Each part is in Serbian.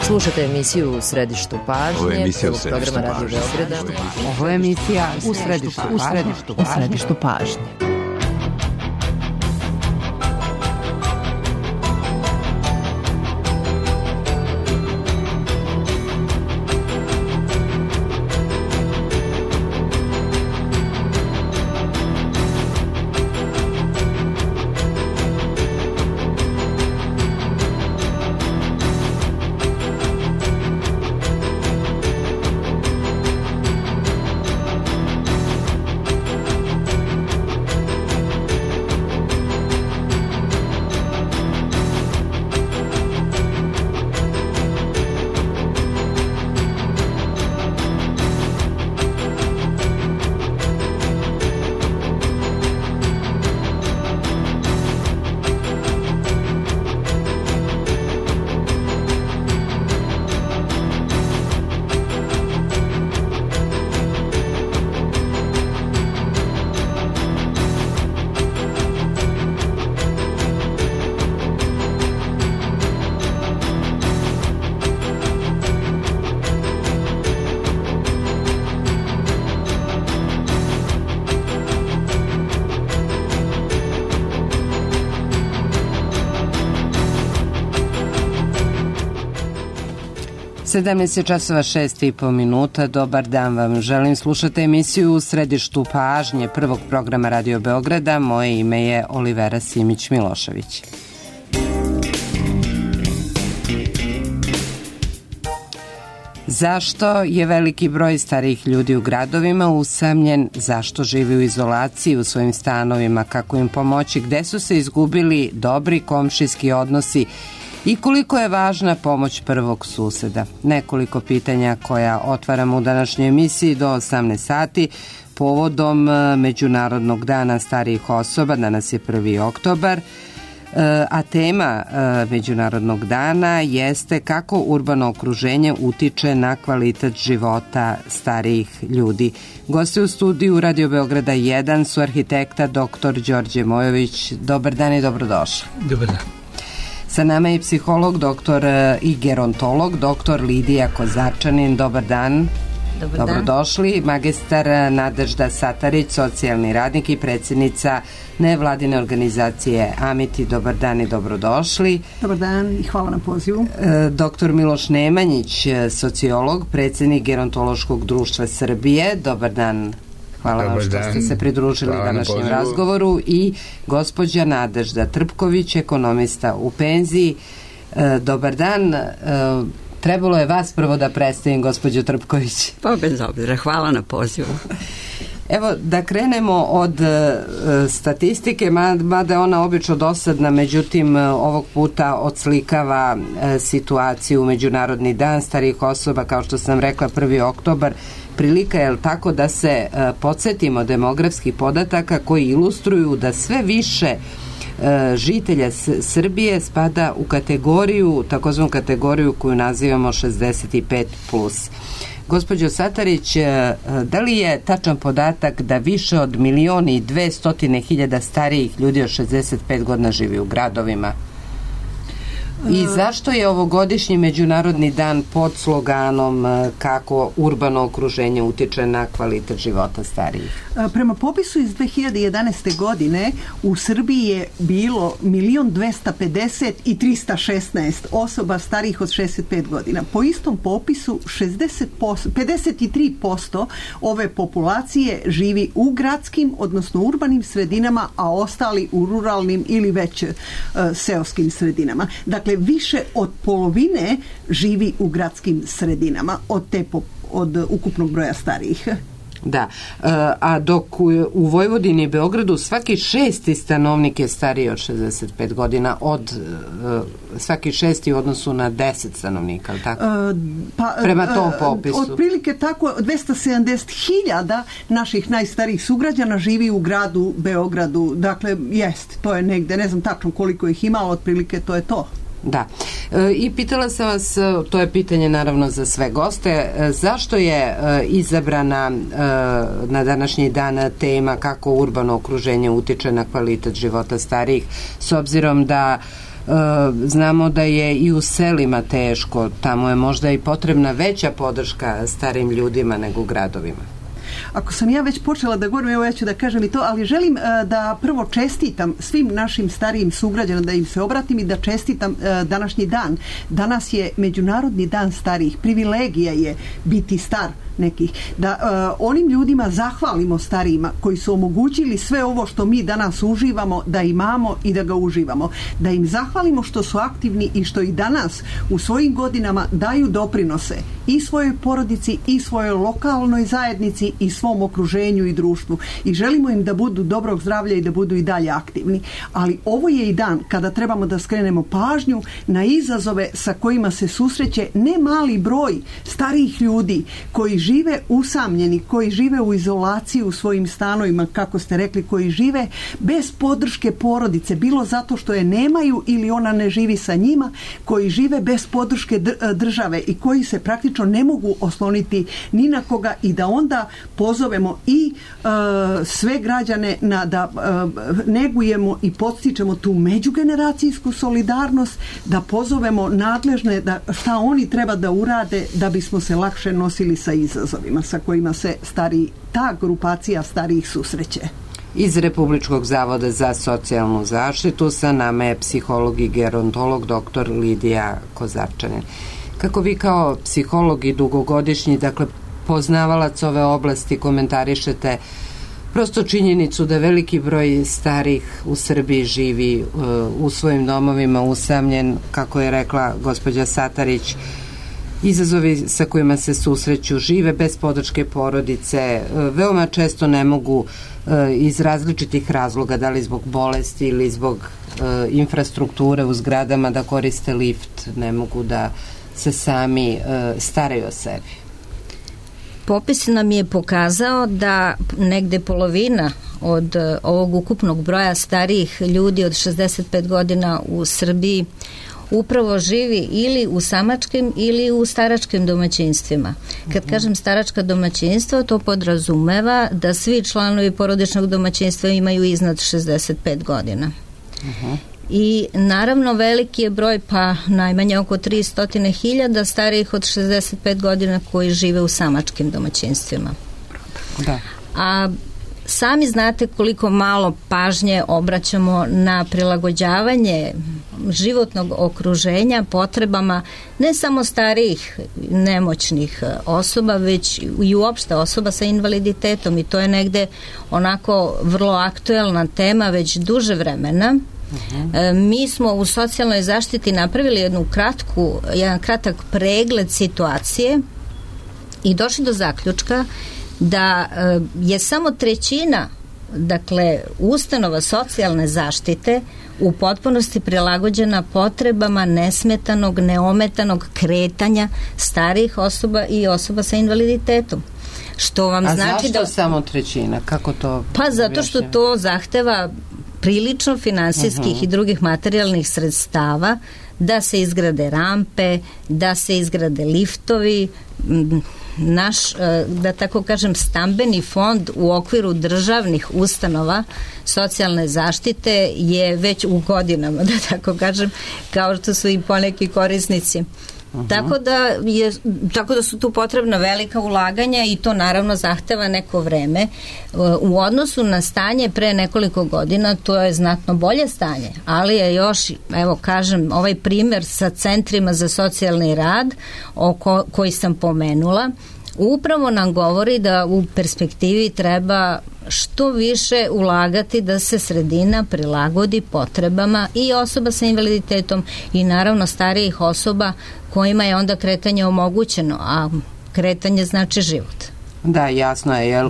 Slušate emisiju U središtu pažnje, prvog programa Radio Beograda. Ovo je emisija U središtu pažnje. časova 6:30. Dobar dan vam želim. Slušate emisiju U središtu pažnje prvog programa Radio Beograda. Moje ime je Olivera Simić-Milošević. Zašto je veliki broj starijih ljudi u gradovima usamljen? Zašto živi u izolaciji u svojim stanovima? Kako im pomoći? Gde su se izgubili dobri komšijski odnosi? I koliko je važna pomoć prvog suseda? Nekoliko pitanja koja otvaramo u današnjoj emisiji do 18 sati povodom Međunarodnog dana starijih osoba. Danas je 1. oktobar, a tema Međunarodnog dana jeste kako urbano okruženje utiče na kvalitet života starijih ljudi. Gosti u studiju Radio Beograda 1 su arhitekta dr. Đorđe Mojović. Dobar dan i dobrodošli. Dobar dan. Sa nama je psiholog, doktor i gerontolog, doktor Lidija Kozarčanin. Dobar dan. Dobrodošli. Magistar Nadežda Satarić, socijalni radnik i predsjednica nevladine organizacije Amiti. Dobar dan i dobrodošli. Dobar dan i hvala na pozivu. Doktor Miloš Nemanjić, sociolog, predsjednik Gerontološkog društva Srbije. Dobar dan. Hvala vam što ste se pridružili današnjem razgovoru. I gospođa Nadežda Trpković, ekonomista u penziji. Dobar dan. Trebalo je vas prvo da predstavim, gospođo Trpković. Pa bez obzira, hvala na pozivu. Evo, da krenemo od statistike, mada je ona obično dosadna, međutim ovog puta odslikava situaciju u Međunarodni dan starijih osoba, kao što sam rekla, 1. oktobar. Prilika je tako da se podsjetimo demografskih podataka koji ilustruju da sve više žitelja Srbije spada u kategoriju, takozvanu kategoriju koju nazivamo 65+. Gospođo Satarić, da li je tačan podatak da više od 1.200.000 starijih ljudi od 65 godina živi u gradovima? I zašto je ovogodišnji Međunarodni dan pod sloganom kako urbano okruženje utiče na kvalitet života starijih? Prema popisu iz 2011. godine u Srbiji je bilo 1.250.316 osoba starijih od 65 godina. Po istom popisu 53% ove populacije živi u gradskim, odnosno urbanim sredinama, a ostali u ruralnim ili već seoskim sredinama. Dakle, više od polovine živi u gradskim sredinama od ukupnog broja starijih. Da, a dok u Vojvodini i Beogradu svaki 6. stanovnik je stariji od 65 godina, od svaki 6. u odnosu na 10 stanovnika, ali tako? Prema tom popisu. Otprilike tako, 270.000 naših najstarijih sugrađana živi u gradu Beogradu. Dakle, to je negde, ne znam tačno koliko ih ima, ali otprilike to je to. Da. I pitala sam vas, to je pitanje naravno za sve goste, zašto je izabrana na današnji dan tema kako urbano okruženje utiče na kvalitet života starijih, s obzirom da Znamo da je i u selima teško, tamo je možda i potrebna veća podrška starim ljudima nego u gradovima. Ako sam ja već počela da govorim, evo ja ću da kažem i to, ali želim da prvo čestitam svim našim starijim sugrađanima, da im se obratim i da čestitam današnji dan. Danas je Međunarodni dan starijih. Privilegija je biti star nekih. Da onim ljudima zahvalimo starijima koji su omogućili sve ovo što mi danas uživamo, da imamo i da ga uživamo. Da im zahvalimo što su aktivni i što i danas u svojim godinama daju doprinose i svojoj porodici i svojoj lokalnoj zajednici i svom okruženju i društvu. I želimo im da budu dobrog zdravlja i da budu i dalje aktivni. Ali ovo je i dan kada trebamo da skrenemo pažnju na izazove sa kojima se susreće ne mali broj starijih ljudi koji žive usamljeni, koji žive u izolaciji u svojim stanovima, kako ste rekli, koji žive bez podrške porodice, bilo zato što je nemaju ili ona ne živi sa njima, koji žive bez podrške države i koji se praktično ne mogu osloniti ni na koga, i da onda pozovemo i sve građane da negujemo i podstičemo tu međugeneracijsku solidarnost, da pozovemo nadležne da šta oni treba da urade da bismo se lakše nosili sa izazovima sa kojima se ta grupacija starijih susreće. Iz Republičkog zavoda za socijalnu zaštitu sa nama je psiholog i gerontolog dr. Lidija Kozarčanin. Kako vi kao psiholog i dugogodišnji, dakle, poznavalac ove oblasti, komentarišete prosto činjenicu da veliki broj starih u Srbiji živi u svojim domovima usamljen, kako je rekla gospođa Satarić, izazovi sa kojima se susreću, žive bez podrške porodice, veoma često ne mogu iz različitih razloga, da li zbog bolesti ili zbog infrastrukture u zgradama, da koriste lift, ne mogu da se sami staraju o sebi. Popis nam je pokazao da negde polovina od ovog ukupnog broja starijih ljudi od 65 godina u Srbiji upravo živi ili u samačkim ili u staračkim domaćinstvima. Kad kažem staračka domaćinstva, to podrazumeva da svi članovi porodičnog domaćinstva imaju iznad 65 godina. I naravno veliki je broj, pa najmanje oko 300.000 starijih od 65 godina koji žive u samačkim domaćinstvima. Da. A sami znate koliko malo pažnje obraćamo na prilagođavanje životnog okruženja potrebama ne samo starijih nemoćnih osoba, već i uopšte osoba sa invaliditetom, i to je negde onako vrlo aktuelna tema već duže vremena. Mi smo u socijalnoj zaštiti napravili jedan kratak pregled situacije i došli do zaključka da je samo trećina, dakle, ustanova socijalne zaštite u potpunosti prilagođena potrebama nesmetanog, neometanog kretanja starijih osoba i osoba sa invaliditetom. Što vam znači zašto samo trećina? Kako to? Pa zato što to zahteva prilično finansijskih i drugih materijalnih sredstava, da se izgrade rampe, da se izgrade liftovi. Naš, da tako kažem, stambeni fond u okviru državnih ustanova socijalne zaštite je već u godinama, da tako kažem, kao što su i poneki korisnici. Tako da su tu potrebna velika ulaganja i to naravno zahteva neko vreme. U odnosu na stanje pre nekoliko godina to je znatno bolje stanje, ali je još, evo kažem, ovaj primer sa centrima za socijalni rad koji sam pomenula, upravo nam govori da u perspektivi treba što više ulagati da se sredina prilagodi potrebama i osoba sa invaliditetom i naravno starijih osoba kojima je onda kretanje omogućeno, a kretanje znači život. Da, jasno je, jer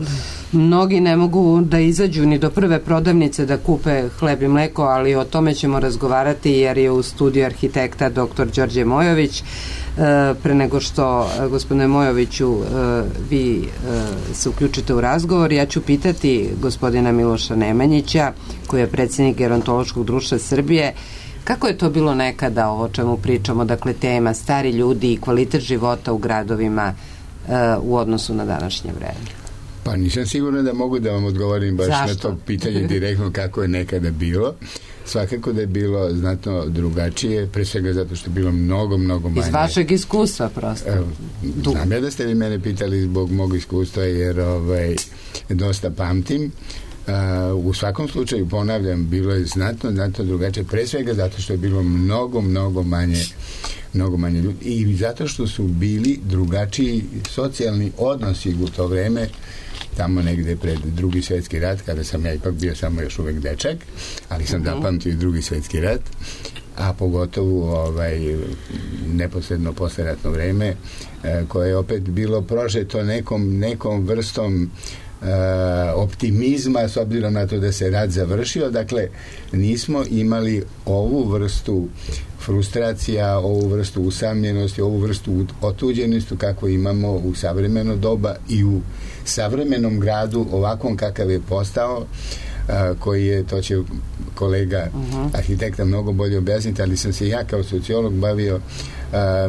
mnogi ne mogu da izađu ni do prve prodavnice da kupe hleb i mleko, ali o tome ćemo razgovarati jer je u studiju arhitekta dr. Đorđe Mojović. Pre nego što, gospodine Mojoviću, vi se uključite u razgovor, ja ću pitati gospodina Miloša Nemanjića, koji je predsjednik Gerontološkog društva Srbije, kako je to bilo nekada, o čemu pričamo, dakle tema stari ljudi i kvalitet života u gradovima u odnosu na današnje vreme? Pa nisam sigurno da mogu da vam odgovorim baš na to pitanje direktno kako je nekada bilo. svakako da je bilo znatno drugačije, pre svega zato što je bilo mnogo manje. Iz vašeg iskustva prosto. Znam ja da ste vi mene pitali zbog mog iskustva, jer dosta pamtim. U svakom slučaju, ponavljam, bilo je znatno drugačije, pre svega zato što je bilo mnogo manje ljudi i zato što su bili drugačiji socijalni odnosi u to vreme, tamo negde pred Drugi svjetski rat, kada sam ja ipak bio samo još uvek dečak, ali sam zapamtio i Drugi svjetski rat, a pogotovo neposredno posleratno vreme, koje je opet bilo prožeto nekom vrstom optimizma, s obzirom na to da se rat završio. Dakle, nismo imali ovu vrstu frustracija, ovu vrstu usamljenosti, ovu vrstu otuđenosti kako imamo u savremeno doba i u savremenom gradu ovakvom kakav je postao, koji je, to će kolega arhitekta mnogo bolje objasniti, ali sam se ja kao sociolog bavio.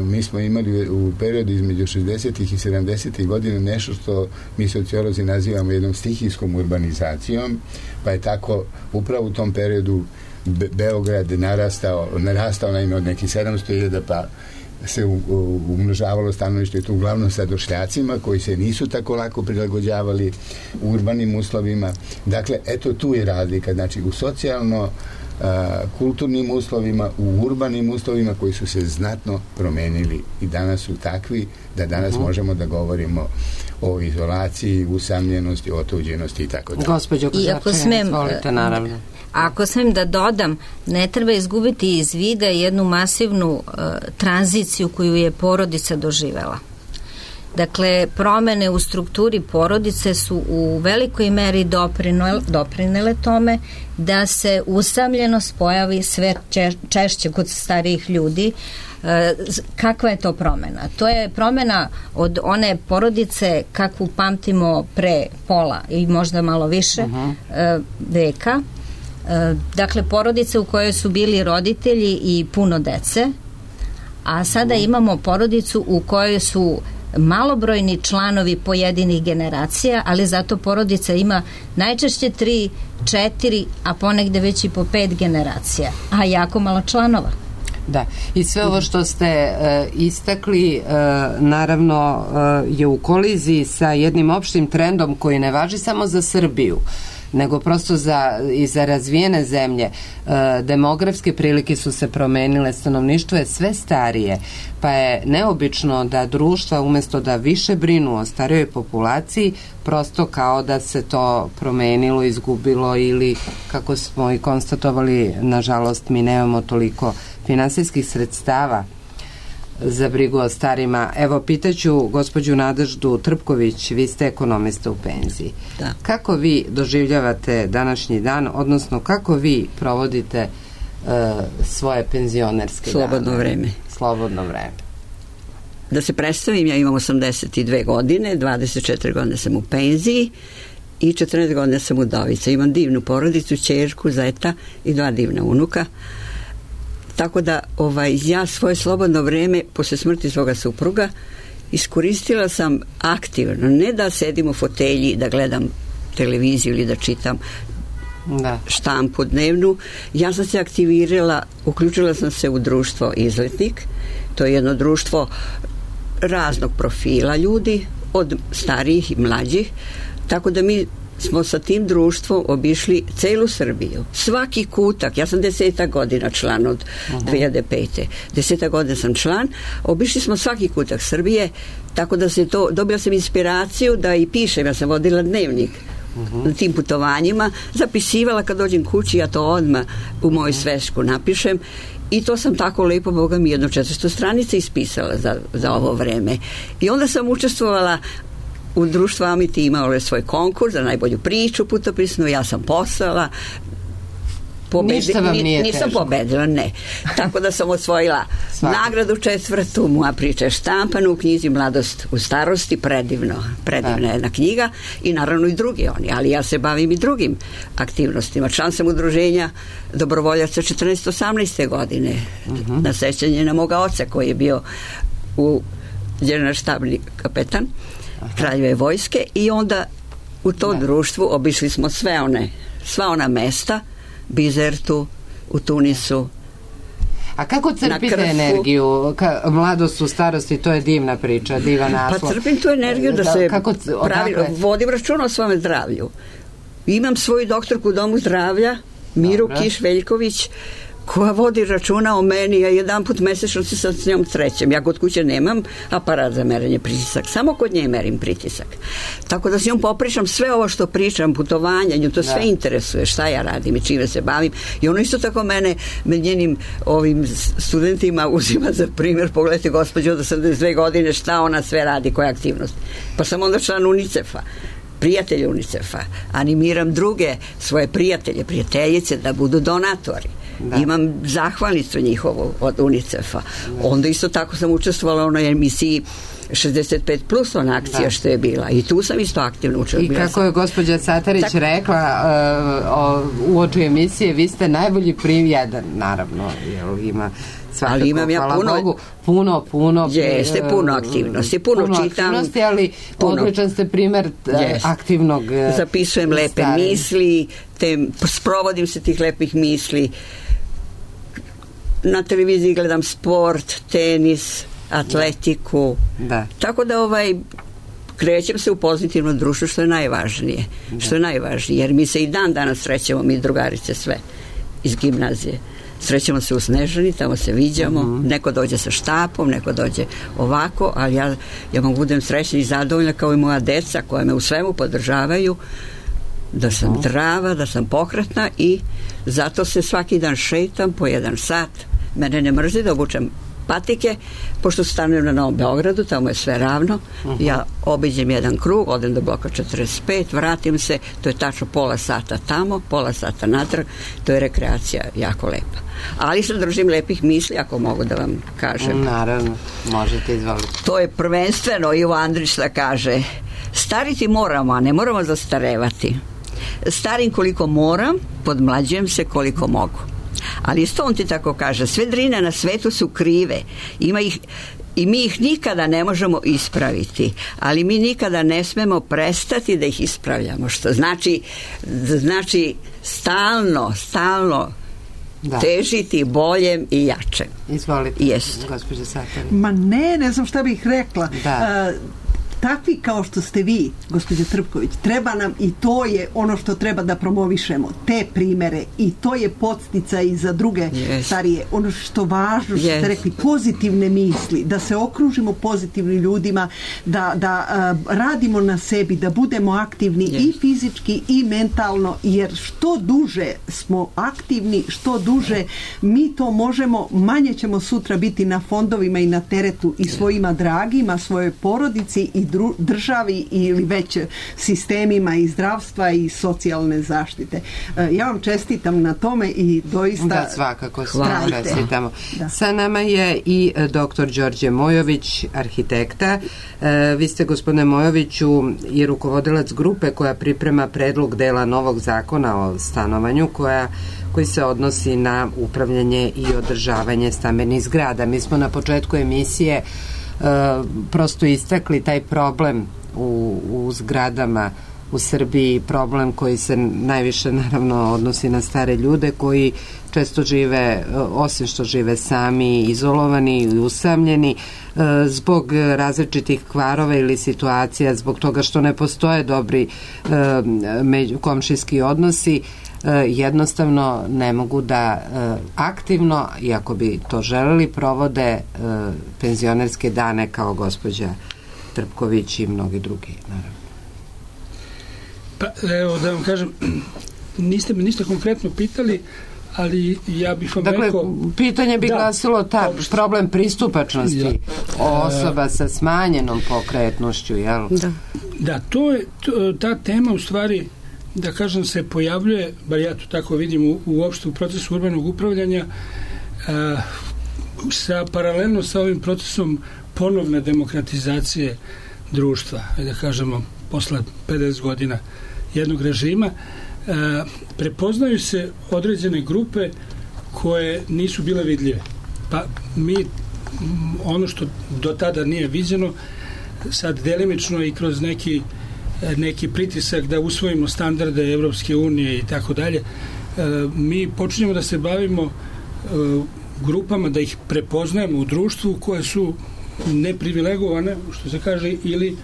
Mi smo imali u periodu između 60. i 70. godina nešto što mi sociolozi nazivamo jednom stihijskom urbanizacijom, pa je tako upravo u tom periodu Beograd narastao naime od nekih 700.000, pa se umnožavalo stanovništvo i to uglavnom sa došljacima koji se nisu tako lako prilagođavali urbanim uslovima. Dakle, eto tu je razlika. Znači, u socijalno kulturnim uslovima, u urbanim uslovima koji su se znatno promenili i danas su takvi da danas možemo da govorimo o izolaciji, usamljenosti, otuđenosti i tako dalje. Gospođo Kozarčeva, izvolite, naravno. Ako smijem da dodam, ne treba izgubiti iz vida jednu masivnu tranziciju koju je porodica doživela. Dakle, promene u strukturi porodice su u velikoj meri doprinele tome da se usamljenost pojavi sve češće kod starijih ljudi. Kakva je to promena? To je promena od one porodice kakvu pamtimo pre pola ili možda malo više veka. Dakle, porodice u kojoj su bili roditelji i puno dece, a sada imamo porodicu u kojoj su malobrojni članovi pojedinih generacija, ali zato porodica ima najčešće 3, 4, a ponegde već i po 5 generacija, a jako malo članova. Da, i sve ovo što ste istakli naravno je u koliziji sa jednim opštim trendom koji ne važi samo za Srbiju, nego prosto i za razvijene zemlje. Demografske prilike su se promenile, stanovništvo je sve starije, pa je neobično da društva umesto da više brinu o starijoj populaciji, prosto kao da se to promenilo, izgubilo ili, kako smo i konstatovali, nažalost mi nemamo toliko finansijskih sredstava za brigu o starima. Evo, pitaću gospođu Nadeždu Trpković, vi ste ekonomista u penziji. Da. Kako vi doživljavate današnji dan, odnosno kako vi provodite svoje penzionerske slobodno vreme? Slobodno vreme. Da se predstavim, ja imam 82 godine, 24 godine sam u penziji i 14 godina sam udovica. Imam divnu porodicu, ćerku, zeta i 2 divna unuka. Tako da ja svoje slobodno vreme posle smrti svoga supruga iskoristila sam aktivno, ne da sedim u fotelji, da gledam televiziju ili da čitam štampu dnevnu. Ja sam se aktivirala, uključila sam se u društvo Izletnik. To je jedno društvo raznog profila ljudi, od starijih i mlađih, tako da mi smo sa tim društvom obišli celu Srbiju. Svaki kutak, ja sam 10 godina član od 2005. 10 godina sam član, obišli smo svaki kutak Srbije, tako da se to, dobila sam inspiraciju da i pišem, ja sam vodila dnevnik na tim putovanjima, zapisivala kad dođem kući, ja to odmah u moju svešku napišem i to sam tako lepo, Boga mi, 400 stranica ispisala za ovo vreme. I onda sam učestvovala u društvu Amiti, imao je svoj konkurs za najbolju priču putopisnu, ja sam poslala. Ništa vam nije teško. Nisam pobedila, ne. Tako da sam osvojila nagradu 4. moja priča je štampana u knjizi Mladost u starosti, predivna jedna knjiga i naravno i drugi oni, ali ja se bavim i drugim aktivnostima. Član sam udruženja dobrovoljaca 14-18 godine na sećanje na moga oca koji je bio generalštabni kapetan Kraljeve vojske i onda u to društvu obišli smo sva ona mesta, Bizertu, u Tunisu. A kako crpite energiju? Mladost u starosti, to je divna priča, divan naslov. Pa crpim tu energiju da se vodim računa o svome zdravlju. Imam svoju doktorku u domu zdravlja, Miru Kiš-Veljković, koja vodi računa o meni, ja jedan put mesečno se sad s njom srećem. Ja kod kuće nemam aparat za merenje pritisak, samo kod nje merim pritisak. Tako da s njom popričam sve ovo što pričam, putovanja, nju to sve interesuje, šta ja radim i čime se bavim. I ono isto tako mene med njenim ovim studentima uzima za primjer. Pogledajte gospođu od 82 godine šta ona sve radi, koje aktivnosti. Pa sam onda član UNICEF-a, prijatelj UNICEF-a, animiram druge svoje prijateljice da budu donatori. Da. Imam zahvalnicu njihovu od UNICEF-a. Onda isto tako sam učestvovala u onoj emisiji 65 plus, ona akcija što je bila. I tu sam isto aktivno učestvovala. I kako je gospođa Satarić rekla u oči emisije, vi ste najbolji jedan, naravno, jer ima svakako, ali imam ja puno jeste, puno aktivnosti, puno čitam, ali odličan ste primer aktivnog zapisujem lepe misli, sprovodim se tih lepih misli, na televiziji gledam sport, tenis, atletiku, tako da krećem se u pozitivno društvo, što je najvažnije, jer mi se i dan danas srećemo, mi drugarice sve iz gimnazije. Srećemo se u Snežani, tamo se viđamo, neko dođe sa štapom, neko dođe ovako, ali ja mogu budem srećna i zadovoljna kao i moja deca koja me u svemu podržavaju, da sam zdrava, da sam pokretna i zato se svaki dan šetam po 1 sat. Mene ne mrzi da obučem patike, pošto stanujem na Novom Beogradu, tamo je sve ravno. Ja obiđem jedan krug, odem do bloka 45, vratim se, to je tačno pola sata tamo, pola sata natrag, to je rekreacija jako lepa. Ali se držim lepih misli, ako mogu da vam kažem. Naravno, možete izvoliti. To je prvenstveno Ivo Andrić da kaže, stariti moramo, a ne moramo zastarevati. Starim koliko moram, podmlađujem se koliko mogu. Ali isto on ti tako kaže, sve drine na svetu su krive, ima ih i mi ih nikada ne možemo ispraviti, ali mi nikada ne smemo prestati da ih ispravljamo, što znači stalno težiti boljem i jačem. Izvolite, gospođa Satarić. Ma ne znam šta bih rekla. Takvi kao što ste vi, gospođa Trpković, treba nam i to je ono što treba da promovišemo, te primere, i to je podsticaj i za druge starije. Ono što važno, što ste rekli, pozitivne misli, da se okružimo pozitivnim ljudima, da radimo na sebi, da budemo aktivni i fizički i mentalno, jer što duže smo aktivni, što duže mi to možemo, manje ćemo sutra biti na fondovima i na teretu i svojima dragima, svojoj porodici i državi ili već sistemima i zdravstva i socijalne zaštite. Ja vam čestitam na tome i doista da, svakako čestitamo. Sa nama je i dr. Đorđe Mojović, arhitekta. Vi ste, gospodine Mojoviću, i rukovodilac grupe koja priprema predlog dela novog zakona o stanovanju koji se odnosi na upravljanje i održavanje stambenih zgrada. Mi smo na početku emisije prosto istakli taj problem u zgradama u Srbiji, problem koji se najviše naravno odnosi na stare ljude koji često žive, osim što žive sami, izolovani i usamljeni zbog različitih kvarova ili situacija, zbog toga što ne postoje dobri komšijski odnosi, jednostavno ne mogu da aktivno, iako bi to želeli, provode penzionerske dane kao gospođa Trpković i mnogi drugi, naravno. Pa, evo da vam kažem, niste me ništa konkretno pitali, ali ja bih vam rekao... Pitanje bi glasilo problem pristupačnosti osoba sa smanjenom pokretnošću, jel? Da, ta tema u stvari, da kažem, se pojavljuje, bar ja to tako vidim, uopšte u procesu urbanog upravljanja, paralelno sa ovim procesom ponovne demokratizacije društva, da kažemo, posle 50 godina jednog režima, prepoznaju se određene grupe koje nisu bile vidljive. Pa mi, ono što do tada nije viđeno, sad delimično i kroz neki pritisak da usvojimo standarde Evropske unije i tako dalje, mi počinjemo da se bavimo grupama, da ih prepoznajemo u društvu koje su neprivilegovane, što se kaže, ili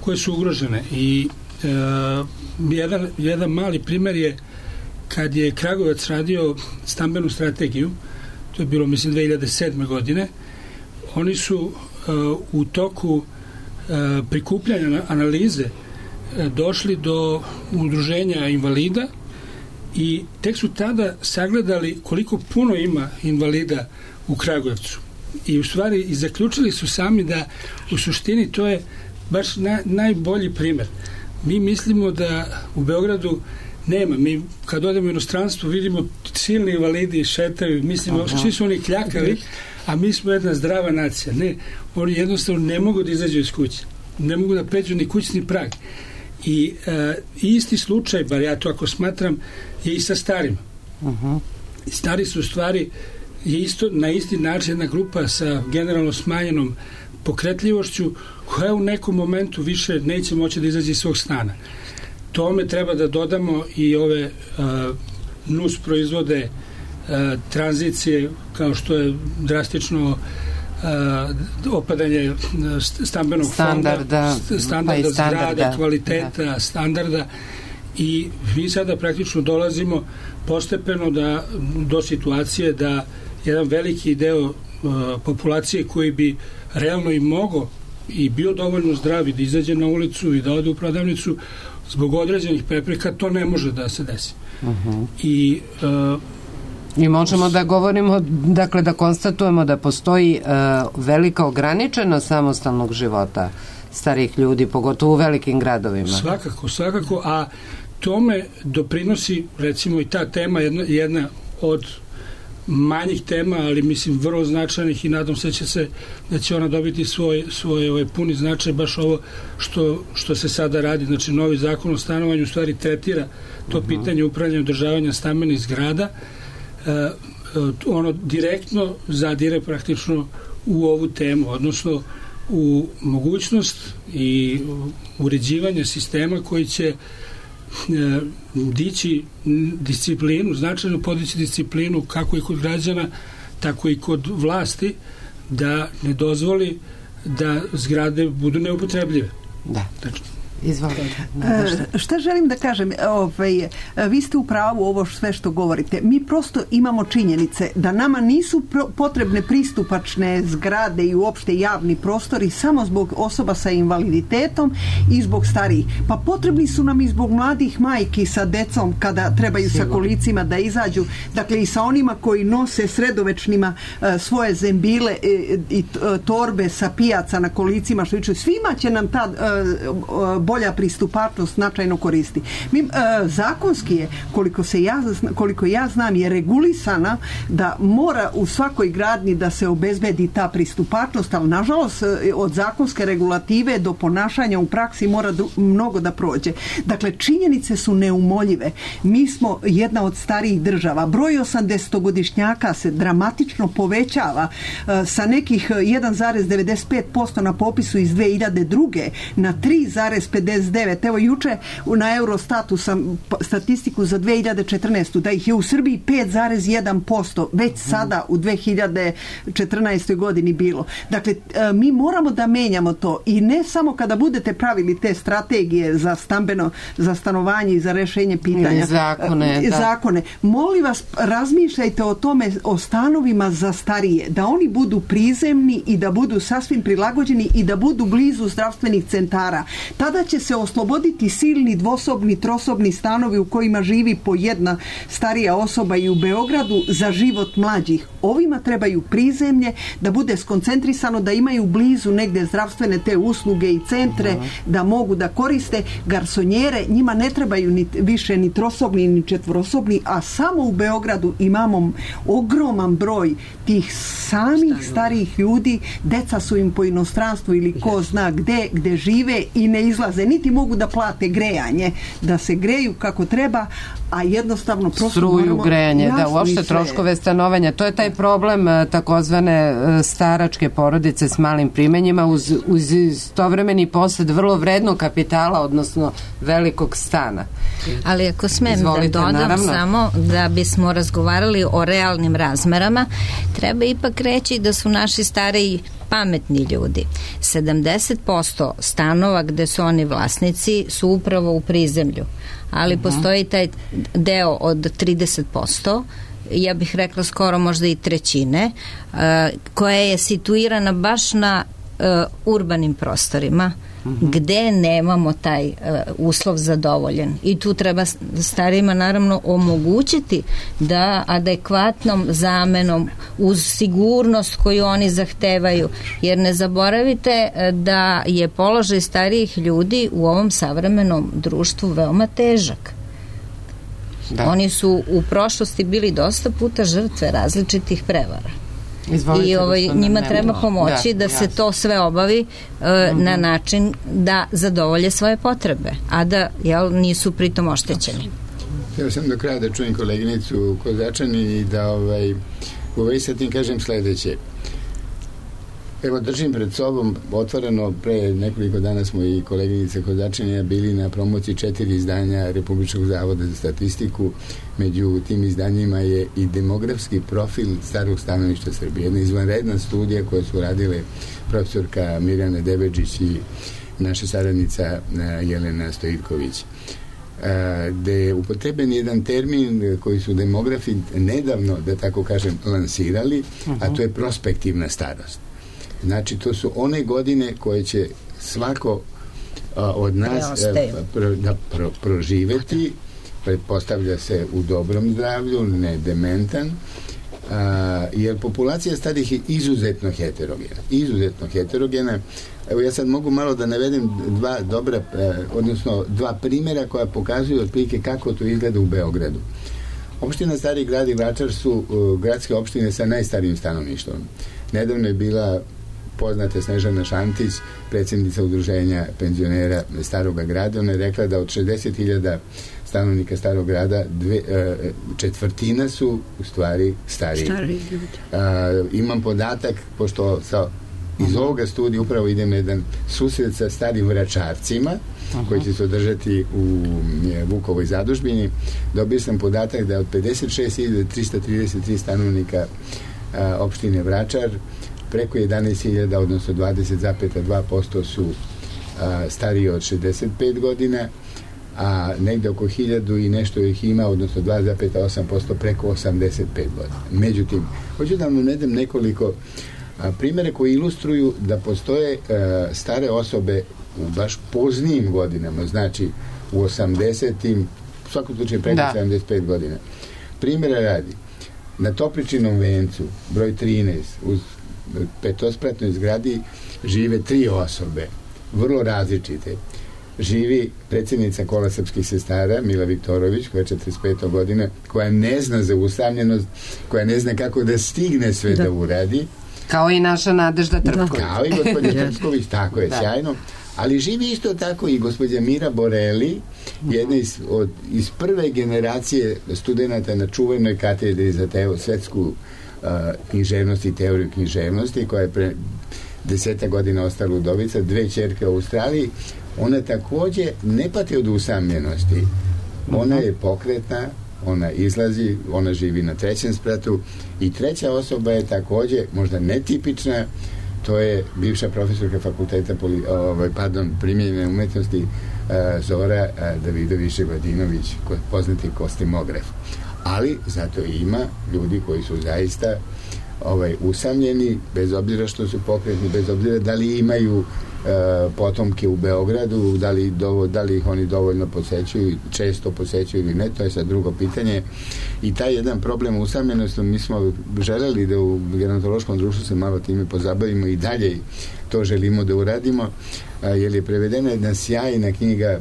koje su ugrožene. I jedan mali primer je kad je Kragujevac radio stambenu strategiju, to je bilo, mislim, 2007. godine, oni su u toku prikupljanja analize došli do udruženja invalida i tek su tada sagledali koliko puno ima invalida u Kragujevcu. I u stvari i zaključili su sami da u suštini to je baš najbolji primer. Mi mislimo da u Beogradu nema. Mi kad odemo u inostranstvo vidimo silni invalidi šetaju, mislimo svi su oni kljakavi, a mi smo jedna zdrava nacija. Ne, oni jednostavno ne mogu da izađu iz kuće. Ne mogu da pređu ni kućni prag. I isti slučaj, bar ja to ako smatram, je i sa starima. Stari su u stvari je isto, na isti način jedna grupa sa generalno smanjenom pokretljivošću koja u nekom momentu više neće moći da izađe iz svog stana. Tome treba da dodamo i ove nus proizvode tranzicije, kao što je drastično opadanje stambenog standarda zgrada, kvaliteta, standarda, i mi sada praktično dolazimo postepeno do situacije da jedan veliki deo populacije koji bi realno i mogao i bio dovoljno zdravi da izađe na ulicu i da ode u prodavnicu, zbog određenih prepreka to ne može da se desi. I možemo da govorimo, dakle da konstatujemo da postoji velika ograničenost samostalnog života starih ljudi, pogotovo u velikim gradovima. Svakako, a tome doprinosi recimo i ta tema, jedna od manjih tema, ali mislim vrlo značajnih, i nadam se da će ona dobiti svoj puni značaj, baš ovo što se sada radi. Znači, novi zakon o stanovanju u stvari tretira to pitanje upravljanja i održavanja stambenih zgrada. Ono direktno zadire praktično u ovu temu, odnosno u mogućnost i uređivanje sistema koji će dići disciplinu, značajno podići disciplinu kako i kod građana, tako i kod vlasti, da ne dozvoli da zgrade budu neupotrebljive. Da. Izvolite. Šta želim da kažem, vi ste u pravu ovo sve što govorite. Mi prosto imamo činjenice da nama nisu potrebne pristupačne zgrade i uopšte javni prostori samo zbog osoba sa invaliditetom i zbog starijih. Pa potrebni su nam i zbog mladih majki sa decom kada trebaju sa kolicima da izađu. Dakle, i sa onima koji nose sredovečnima svoje zembile i torbe sa pijaca na kolicima, što viču, svima će nam ta bolja pristupačnost značajno koristi. Zakonski je, koliko ja znam, je regulisana da mora u svakoj gradnji da se obezbedi ta pristupačnost, ali nažalost od zakonske regulative do ponašanja u praksi mora mnogo da prođe. Dakle, činjenice su neumoljive. Mi smo jedna od starijih država. Broj 80-godišnjaka se dramatično povećava sa nekih 1,95% na popisu iz 2002. na 3,59. Evo juče na Eurostatu sam statistiku za 2014. da ih je u Srbiji 5,1% već sada u 2014. godini bilo. Dakle, mi moramo da menjamo to i ne samo kada budete pravili te strategije za stanovanje i za rešenje pitanja. Zakone. Molim vas, razmišljajte o tome, o stanovima za starije, da oni budu prizemni i da budu sasvim prilagođeni i da budu blizu zdravstvenih centara. Tada će se osloboditi silni dvosobni, trosobni stanovi u kojima živi po jedna starija osoba i u Beogradu za život mlađih. Ovima trebaju prizemlje, da bude skoncentrisano, da imaju blizu negde zdravstvene te usluge i centre, da mogu da koriste garsonjere. Njima ne trebaju više ni trosobni ni četvorosobni, a samo u Beogradu imamo ogroman broj tih samih starijih ljudi. Deca su im po inostranstvu ili ko zna gde žive i ne izlaze izlaze, niti mogu da plate grejanje, da se greju kako treba, a jednostavno prosto struju, grejanje, da, uopšte troškove stanovanja. To je taj problem takozvane staračke porodice s malim primanjima uz istovremeni posed vrlo vrednog kapitala, odnosno velikog stana. Ali ako smem da dodam, naravno, samo da bismo razgovarali o realnim razmerama, treba ipak reći da su naši stariji pametni ljudi. 70% stanova gde su oni vlasnici su upravo u prizemlju, ali postoji taj deo od 30%, ja bih rekla skoro možda i trećine, koja je situirana baš na urbanim prostorima, gde nemamo taj uslov zadovoljen. I tu treba starijima naravno omogućiti da adekvatnom zamenom uz sigurnost koju oni zahtevaju, jer ne zaboravite da je položaj starijih ljudi u ovom savremenom društvu veoma težak. Da. Oni su u prošlosti bili dosta puta žrtve različitih prevara. I njima treba pomoći da se to sve obavi na način da zadovolje svoje potrebe, a da nisu pritom oštećeni. Ja sam do kraja da čujem koleginicu Kozačani i da sa tim kažem sledeće. Evo, držim pred sobom otvoreno, pre nekoliko dana smo i koleginice Kozačanija bili na promociji 4 izdanja Republičkog zavoda za statistiku. Među tim izdanjima je i demografski profil starog stanovništva Srbije. Jedna izvanredna studija koju su radile profesorka Mirjana Debeđić i naša saradnica Jelena Stojivković, gde je upotrebljen jedan termin koji su demografi nedavno, da tako kažem, lansirali, a to je prospektivna starost. Znači, to su one godine koje će svako od nas proživeti, pretpostavlja se u dobrom zdravlju, ne dementan, jer populacija starih je izuzetno heterogena. Evo, ja sad mogu malo da navedem dva primjera koja pokazuju otprilike kako to izgleda u Beogradu. Opština Stari grad i Vračar su gradske opštine sa najstarijim stanovništvom. Nedavno je bila poznata Snežana Šantić, predsjednica udruženja penzionera Staroga grada. Ona je rekla da od 60.000 stanovnika Starog grada, četvrtina su u stvari stariji. Imam podatak, pošto iz ovoga studija upravo idem na jedan susret sa starim Vračarcima, koji će se održati u Vukovoj zadužbini. Dobio sam podatak da od 56.333 stanovnika opštine Vračar, preko 11.000, odnosno 20,2% su stariji od 65 godina, a negde oko 1.000 i nešto ih ima, odnosno 2,8% preko 85 godina. Međutim, hoću da vam navedem nekoliko primjere koji ilustruju da postoje stare osobe u baš poznijim godinama, znači u 80-im, u svakom slučaju preko 75 godina. Primjera radi, na Topličinom vencu, broj 13, uz petospratnoj zgradi žive 3 osobe, vrlo različite. Živi predsjednica Kola srpskih sestara Mila Viktorović, koja je 45. godine, koja ne zna za usamljenost, koja ne zna kako da stigne sve da uradi. Kao i naša Nadežda Trpković. Kao i gospođa Trpković, tako je, sjajno. Ali živi isto tako i gospođa Mira Boreli, jedna iz prve generacije studenta na čuvenoj katedri za svetsku književnost i teoriju književnosti, koja je pre 10 godina ostala udovica, 2 ćerke u Australiji. Ona takođe ne pati od usamljenosti. Ona je pokretna, ona izlazi, ona živi na 3. spratu i 3. osoba je takođe možda netipična, to je bivša profesorka fakulteta primijenjene umetnosti Zora Davidović-Ševadinović, poznati kostimograf. Ali zato ima ljudi koji su zaista usamljeni, bez obzira što su pokretni, bez obzira da li imaju potomke u Beogradu, da li ih oni dovoljno posećuju, često posećuju ili ne, to je sad drugo pitanje. I taj jedan problem usamljenosti, mi smo želeli da u gerontološkom društvu se malo time pozabavimo i dalje to želimo da uradimo, jer je prevedena jedna sjajna knjiga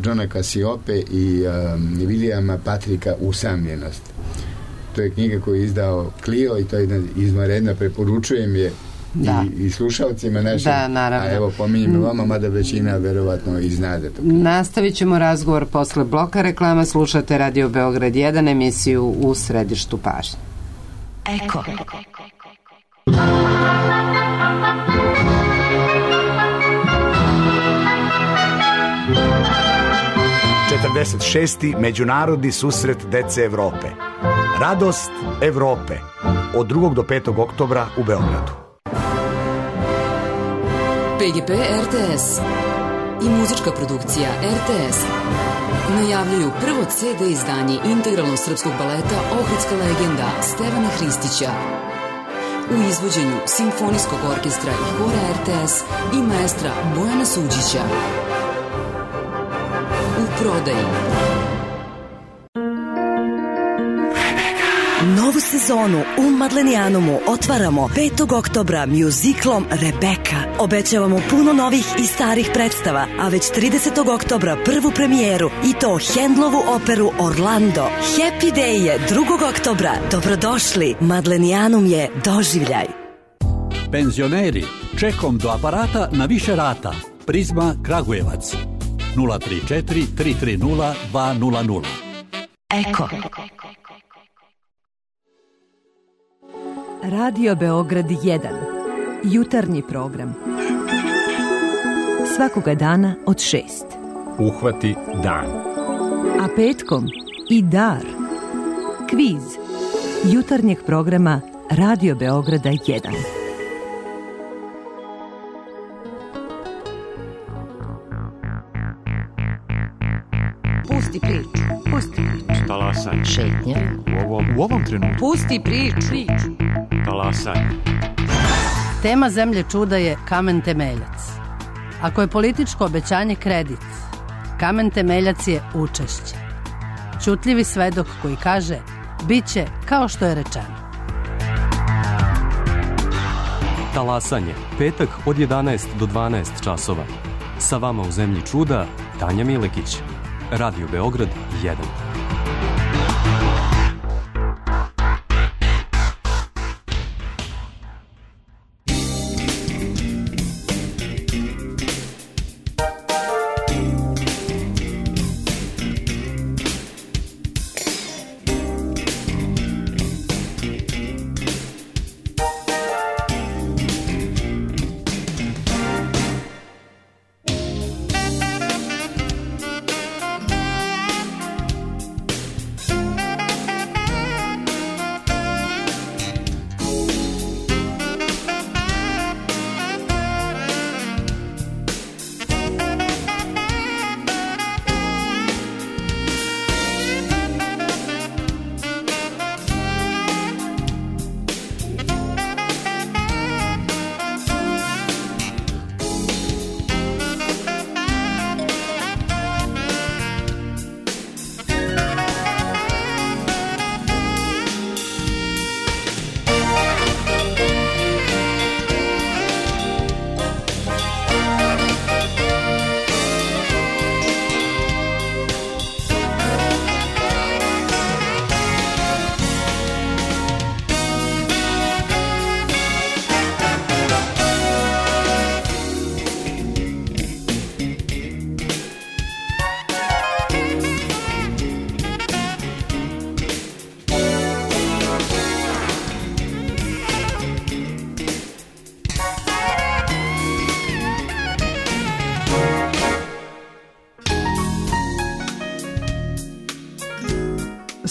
Johna Casiope i Williama Patricka Usamljenost. To je knjiga koju je izdao Clio i to je jedna izvanredna, preporučujem je i slušalcima našim. Da, naravno. A evo, pominjem vama, mada većina verovatno i zna da to. Nastavit ćemo razgovor posle bloka reklama. Slušate Radio Beograd 1, emisiju U središtu pažnje. Eko. 46. Međunarodni susret dece Evrope. Radost Evrope. Od 2. do 5. oktobra u Beogradu. PGP RTS i muzička produkcija RTS najavljuju prvo CD izdanje integralnog srpskog baleta Ohridska legenda Stevana Hristića u izvođenju Simfonijskog orkestra i hora RTS i maestra Bojana Suđića. U prodaji. Novu sezonu u Madlenijanumu otvaramo 5. oktobra mjuziklom Rebeka. Obećavamo puno novih i starih predstava, a već 30. oktobra prvu premijeru i to Handlovu operu Orlando. Happy Day je 2. oktobra. Dobrodošli, Madlenijanum je doživljaj. Penzioneri, čekom do aparata na više rata. Prizma Kragujevac 034 330 200. Eko. Radio Beograd 1. Jutarnji program. Svakoga dana od 6. Uhvati dan. A petkom i dar. Kviz. Jutarnjeg programa Radio Beograda 1. Pusti priču. Pusti priču. Talasaj. Šetnja. U ovom trenutku. Pusti priču. Talasaj. Tema Zemlje čuda je kamen temeljac. Ako je političko obećanje kredit, kamen temeljac je učešće. Ćutljivi svedok koji kaže bit će kao što je rečeno. Talasanje. Petak od 11 do 12 časova. Sa vama u Zemlji čuda Tanja Milekić. Radio Beograd 1.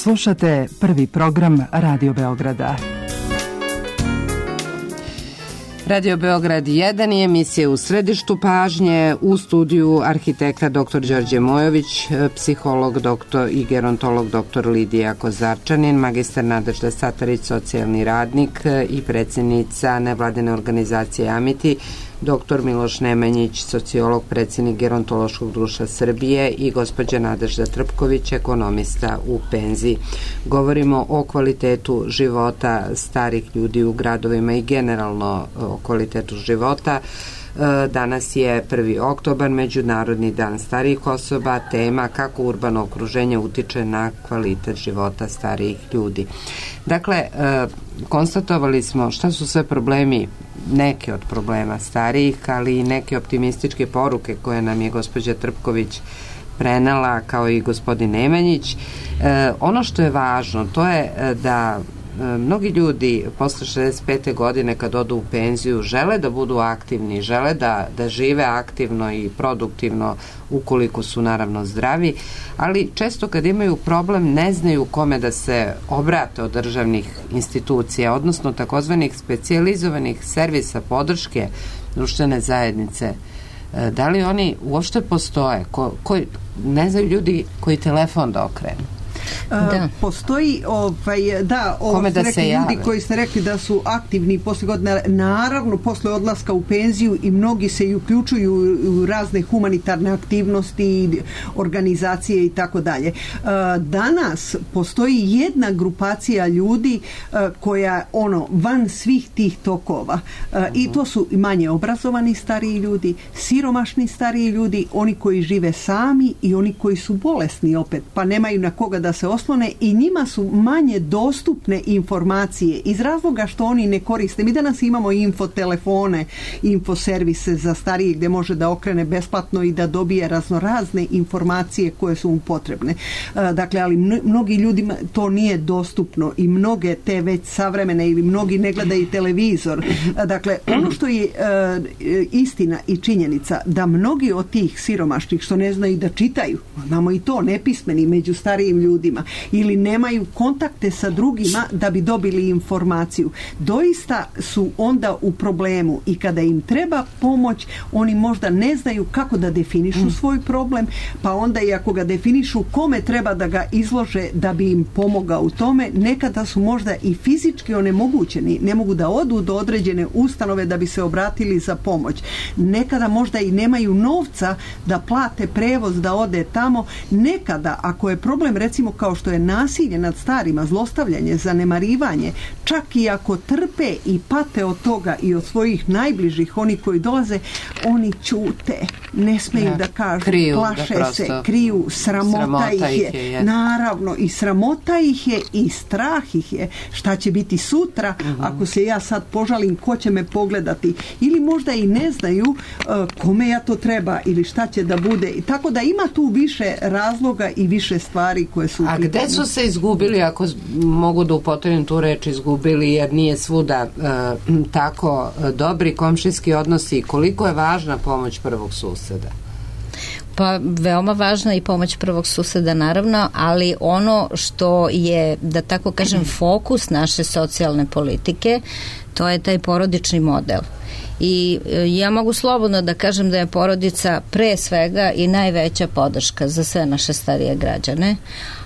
Slušate prvi program Radio Beograda. Radio Beograd 1 je emisija u središtu pažnje, u studiju arhitekta dr. Đorđe Mojović, psiholog doktor i gerontolog dr. Lidija Kozarčanin, magistar Nadežda Satarić, socijalni radnik i predsjednica nevladine organizacije Amiti, dr. Miloš Nemanjić, sociolog, predsjednik Gerontološkog društva Srbije i gospođa Nadežda Trpković, ekonomista u penziji. Govorimo o kvalitetu života starih ljudi u gradovima i generalno o kvalitetu života. Danas je 1. oktobar, Međunarodni dan starijih osoba, tema kako urbano okruženje utiče na kvalitet života starijih ljudi. Dakle, konstatovali smo šta su sve problemi neke od problema starijih, ali i neke optimističke poruke koje nam je gospođa Trpković prenela, kao i gospodin Nemanjić. Ono što je važno, to je da mnogi ljudi posle 65. godine kad odu u penziju žele da budu aktivni, žele da žive aktivno i produktivno ukoliko su naravno zdravi, ali često kad imaju problem ne znaju kome da se obrate od državnih institucija, odnosno takozvanih specijalizovanih servisa podrške društvene zajednice. Da li oni uopšte postoje? Ne znaju ljudi koji telefon da okrenu. Postoji kome da se ljudi koji ste rekli da su aktivni posle godina, naravno posle odlaska u penziju, i mnogi se i uključuju u razne humanitarne aktivnosti, organizacije i tako dalje. Danas postoji jedna grupacija ljudi koja van svih tih tokova, i to su manje obrazovani stariji ljudi, siromašni stariji ljudi, oni koji žive sami i oni koji su bolesni opet, pa nemaju na koga da se oslone, i njima su manje dostupne informacije iz razloga što oni ne koriste. Mi danas imamo infotelefone, infoservise za starije gdje može da okrene besplatno i da dobije raznorazne informacije koje su mu potrebne. Dakle, ali mnogi ljudima to nije dostupno i mnoge te već savremene ili mnogi ne gledaju televizor. Dakle, ono što je istina i činjenica da mnogi od tih siromašnih što ne znaju da čitaju, imamo i to nepismeni među starijim ljudima, ili nemaju kontakte sa drugima da bi dobili informaciju, doista su onda u problemu, i kada im treba pomoć oni možda ne znaju kako da definišu svoj problem, pa onda i ako ga definišu kome treba da ga izlože da bi im pomogao u tome, nekada su možda i fizički onemogućeni, ne mogu da odu do određene ustanove da bi se obratili za pomoć, nekada možda i nemaju novca da plate prevoz da ode tamo, nekada ako je problem recimo kao što je nasilje nad starima, zlostavljanje, zanemarivanje, čak i ako trpe i pate od toga i od svojih najbližih, oni koji dolaze, oni ćute, ne smeju da kažu, plaše se, kriju, sramota ih je. Naravno, i sramota ih je i strah ih je. Šta će biti sutra ako se ja sad požalim, ko će me pogledati? Ili možda i ne znaju kome ja to treba ili šta će da bude. Tako da ima tu više razloga i više stvari koje su... A gde su se izgubili, ako mogu da upotrebim tu reč izgubili, jer nije svuda tako dobri komšijski odnosi, koliko je važna pomoć prvog suseda? Pa veoma važna i pomoć prvog suseda naravno, ali ono što je, da tako kažem, fokus naše socijalne politike, to je taj porodični model. I ja mogu slobodno da kažem da je porodica pre svega i najveća podrška za sve naše starije građane,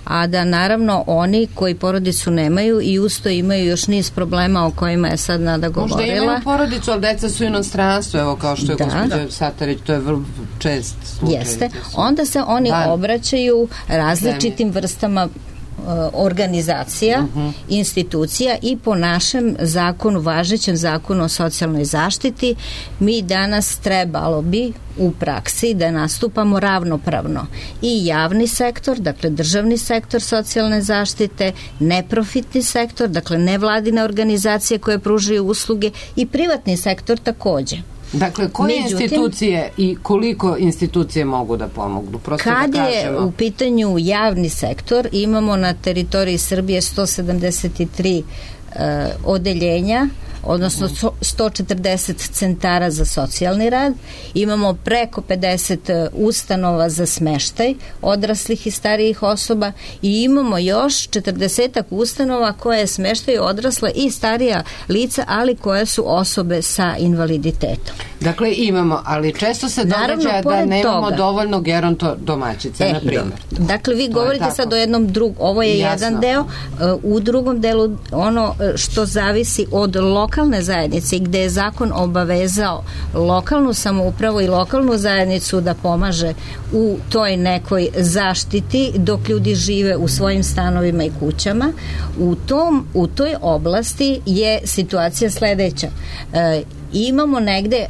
a da naravno oni koji porodicu nemaju i usto imaju još niz problema o kojima je sad Nada govorila. Možda imaju porodicu, ali deca su inostranstvo, evo kao što je gospođa Satarić, to je vrlo čest slučaj. Jeste, onda se oni obraćaju različitim vrstama organizacija, institucija, i po našem zakonu, važećem zakonu o socijalnoj zaštiti, mi danas trebalo bi u praksi da nastupamo ravnopravno i javni sektor, dakle državni sektor socijalne zaštite, neprofitni sektor, dakle nevladine organizacije koje pružaju usluge, i privatni sektor takođe. Dakle, koje institucije i koliko institucije mogu da pomognu? Kad je u pitanju javni sektor, imamo na teritoriji Srbije 173 odeljenja, odnosno 140 centara za socijalni rad, imamo preko 50 ustanova za smeštaj odraslih i starijih osoba i imamo još 40 ustanova koje smeštaju odrasla i starija lica, ali koje su osobe sa invaliditetom. Dakle, imamo, ali često se događa da nemamo dovoljno gerontodomaćica, na primjer. Dakle, vi govorite sad o jednom drugom, ovo je jedan deo, u drugom delu ono što zavisi od lokalne zajednice, gde je zakon obavezao lokalnu samoupravu i lokalnu zajednicu da pomaže u toj nekoj zaštiti dok ljudi žive u svojim stanovima i kućama. U toj oblasti je situacija sledeća. Imamo negde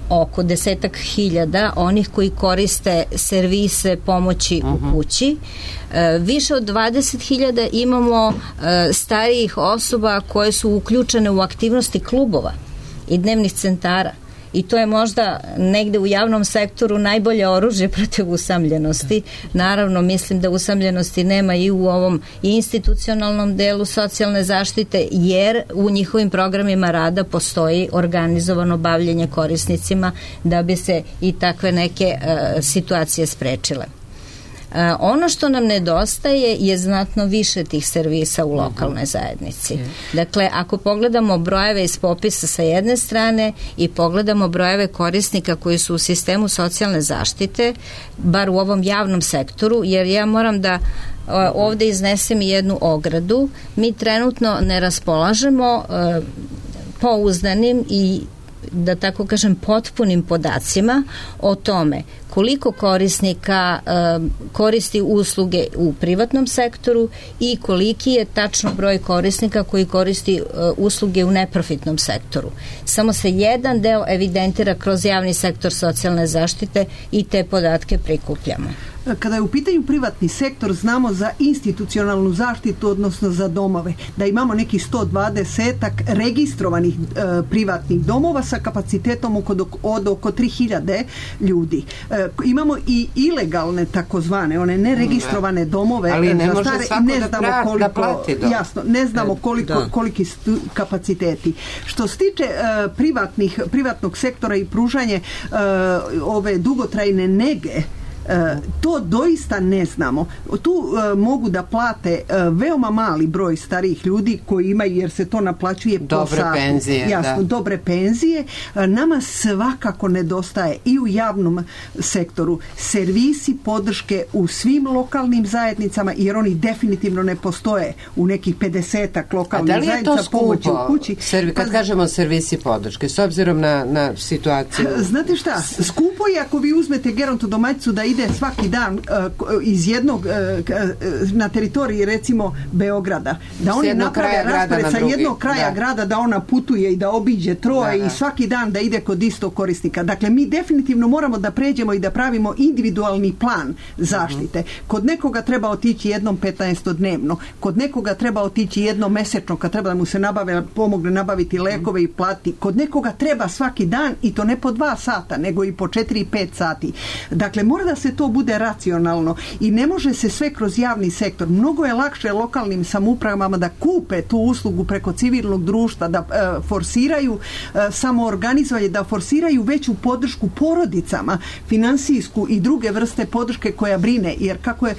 oko 10.000 onih koji koriste servise pomoći u kući. Više od 20.000 imamo starijih osoba koje su uključene u aktivnosti klubova i dnevnih centara. I to je možda negde u javnom sektoru najbolje oružje protiv usamljenosti. Naravno, mislim da usamljenosti nema i u ovom institucionalnom delu socijalne zaštite, jer u njihovim programima rada postoji organizovano bavljenje korisnicima da bi se i takve neke situacije sprečile. Ono što nam nedostaje je znatno više tih servisa u lokalnoj zajednici. Dakle, ako pogledamo brojeve iz popisa sa jedne strane i pogledamo brojeve korisnika koji su u sistemu socijalne zaštite, bar u ovom javnom sektoru, jer ja moram da ovde iznesem jednu ogradu, mi trenutno ne raspolažemo pouzdanim i, da tako kažem, potpunim podacima o tome koliko korisnika koristi usluge u privatnom sektoru i koliki je tačno broj korisnika koji koristi usluge u neprofitnom sektoru. Samo se jedan deo evidentira kroz javni sektor socijalne zaštite i te podatke prikupljamo. Kada je u pitanju privatni sektor, znamo za institucionalnu zaštitu, odnosno za domove, da imamo neki 120-ak registrovanih privatnih domova sa kapacitetom od oko 3000 ljudi. Imamo i ilegalne takozvane, one neregistrovane domove, ali ne može stare, svako ne znamo koliko, da plati dom. Jasno, ne znamo koliki su kapaciteti. Što se tiče privatnog sektora i pružanje ove dugotrajne nege, to doista ne znamo. Tu mogu da plate veoma mali broj starijih ljudi koji imaju, jer se to naplaćuje po satu. Penzije, jasno, dobre penzije. Nama svakako nedostaje i u javnom sektoru servisi podrške u svim lokalnim zajednicama, jer oni definitivno ne postoje u nekih 50-ak lokalnih zajednica pomoći u kući. Kad kažemo servisi podrške, s obzirom na situaciju. Znate šta, skupo je ako vi uzmete gerontodomaćicu da ide svaki dan iz jednog na teritoriji recimo Beograda, da oni naprave raspored sa jednog kraja grada, da ona putuje i da obiđe troje i svaki dan da ide kod istog korisnika. Dakle, mi definitivno moramo da pređemo i da pravimo individualni plan zaštite. Kod nekoga treba otići jednom 15 dnevno, kod nekoga treba otići jednom mesečno kad treba da mu se pomogne nabaviti lekove i plati. Kod nekoga treba svaki dan i to ne po 2 sata, nego i po 4 i 5 sati. Dakle, mora da se to bude racionalno i ne može se sve kroz javni sektor. Mnogo je lakše lokalnim samoupravama da kupe tu uslugu preko civilnog društva, da forsiraju samoorganizovanje, da forsiraju veću podršku porodicama, finansijsku i druge vrste podrške koja brine, jer kako je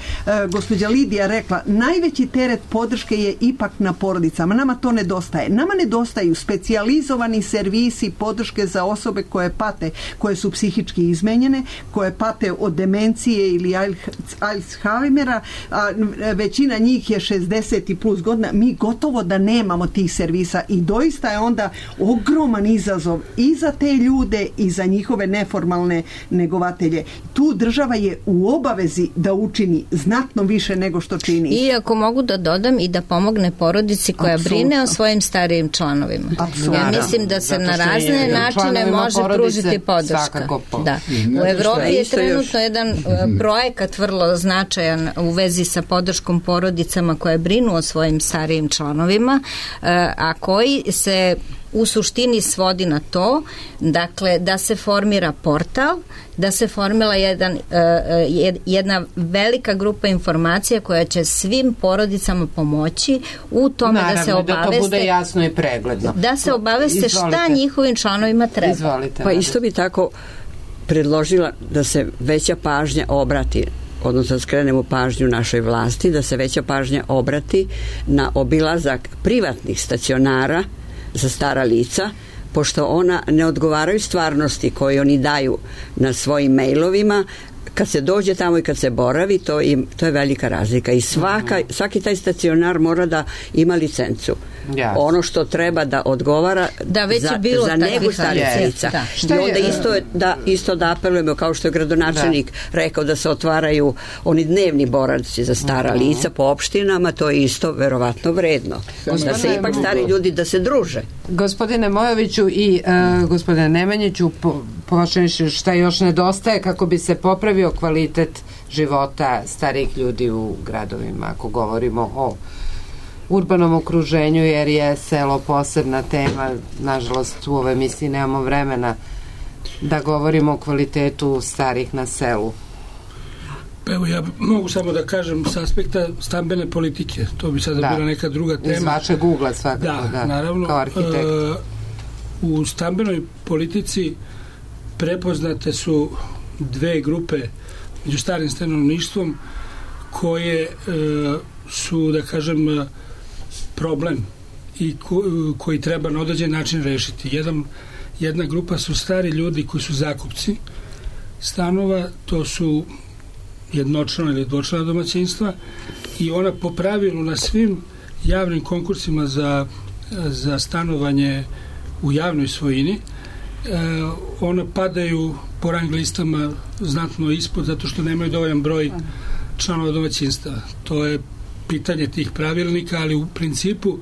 gospođa Lidija rekla, najveći teret podrške je ipak na porodicama. Nama to nedostaje. Nama nedostaju specijalizovani servisi podrške za osobe koje pate, koje su psihički izmenjene, koje pate od demencije ili Alzheimera, a većina njih je 60 i plus godina. Mi gotovo da nemamo tih servisa i doista je onda ogroman izazov i za te ljude i za njihove neformalne negovatelje. Tu država je u obavezi da učini znatno više nego što čini. I ako mogu da dodam i da pomogne porodici koja brine o svojim starijim članovima. Ja mislim da se na razne načine može pružiti podrška. Da. U Evropi je trenutno jedan projekat vrlo značajan u vezi sa podrškom porodicama koje brinu o svojim starijim članovima, a koji se u suštini svodi na to, dakle, da se formira portal, da se formila jedna velika grupa informacija koja će svim porodicama pomoći u tome da se obaveste, da to bude jasno i pregledno. Da se obaveste šta njihovim članovima treba. Izvolite. Pa isto bi tako predložila da se veća pažnja obrati, odnosno skrenemo pažnju našoj vlasti, da se veća pažnja obrati na obilazak privatnih stacionara za stara lica, pošto ona ne odgovaraju stvarnosti koje oni daju na svojim mailovima. Kad se dođe tamo i kad se boravi, to je velika razlika i svaki taj stacionar mora da ima licencu. Ono što treba da odgovara za negu starih lica. I onda isto da apelujemo, kao što je gradonačelnik rekao, da se otvaraju oni dnevni boravci za stara lica po opštinama, to je isto verovatno vredno. Da se ipak stari ljudi da se druže. Gospodine Mojoviću i gospodine Nemanjiću, počneš šta još nedostaje kako bi se popravio kvalitet života starijih ljudi u gradovima, ako govorimo o urbanom okruženju, jer je selo posebna tema. Nažalost, u ovoj emisiji nemamo vremena da govorimo o kvalitetu starih na selu. Evo, ja mogu samo da kažem s aspekta stambene politike, to bi sada bila neka druga tema. Iz vašeg ugla svakako, naravno, kao arhitekt. U stambenoj politici prepoznate su dve grupe među starim stanovništvom koje su, da kažem, problem i koji treba na određen način rešiti. Jedna grupa su stari ljudi koji su zakupci stanova, to su jednočlana ili dvočlana domaćinstva, i ona po pravilu na svim javnim konkursima za stanovanje u javnoj svojini ona padaju po rang listama znatno ispod, zato što nemaju dovoljan broj članova domaćinstva. To je pitanje tih pravilnika, ali u principu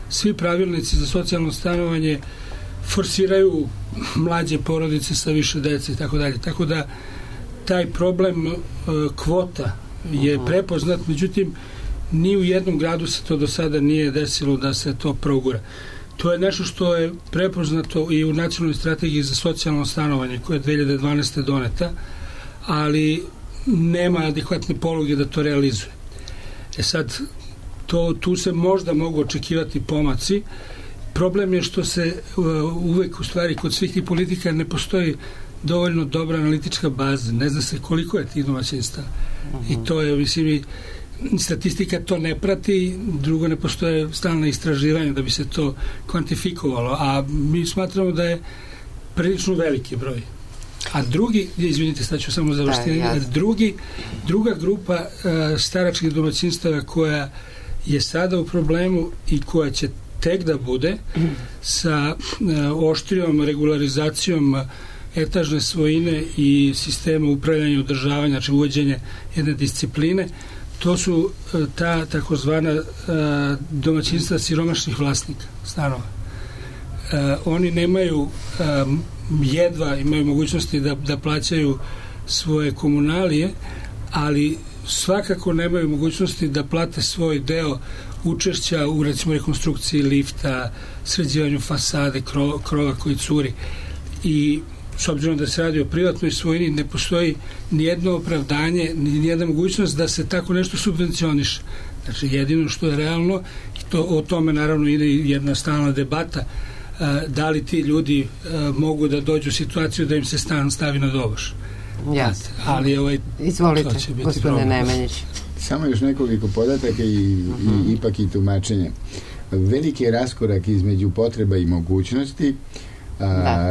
svi pravilnici za socijalno stanovanje forsiraju mlađe porodice sa više dece i tako dalje. Tako da taj problem kvota je prepoznat, međutim ni u jednom gradu se to do sada nije desilo da se to progura. To je nešto što je prepoznato i u nacionalnoj strategiji za socijalno stanovanje koja je 2012. doneta, ali nema adekvatne poluge da to realizuje. Sad, tu se možda mogu očekivati pomaci. Problem je što se uvek, u stvari, kod svih tih politika ne postoji dovoljno dobra analitička baza. Ne zna se koliko je tih domaćinstava. I to je, mislim, statistika to ne prati, drugo ne postoje stalne istraživanja da bi se to kvantifikovalo, a mi smatramo da je prilično veliki broj. A drugi, izvinite, sad ću samo završiti, druga grupa staračkih domaćinstava koja je sada u problemu i koja će tek da bude sa oštrijom regularizacijom etažne svojine i sistema upravljanja i održavanja, znači uvođenje jedne discipline, to su ta takozvana domaćinstva siromašnih vlasnika stanova. Oni nemaju, jedva imaju mogućnosti da plaćaju svoje komunalije, ali svakako nemaju mogućnosti da plate svoj deo učešća u, recimo, rekonstrukciji lifta, sređivanju fasade, krova koji curi. I s obzirom da se radi o privatnoj svojini, ne postoji nijedno opravdanje, nijedna mogućnost da se tako nešto subvencioniše. Znači, jedino što je realno, i o tome naravno ide jedna stalna debata, da li ti ljudi mogu da dođu u situaciju da im se stan stavi na doboš. Jasno. Ali izvolite, gospodine Nemanjić. Samo još nekoliko podataka i ipak i tumačenja. Veliki je raskorak između potreba i mogućnosti.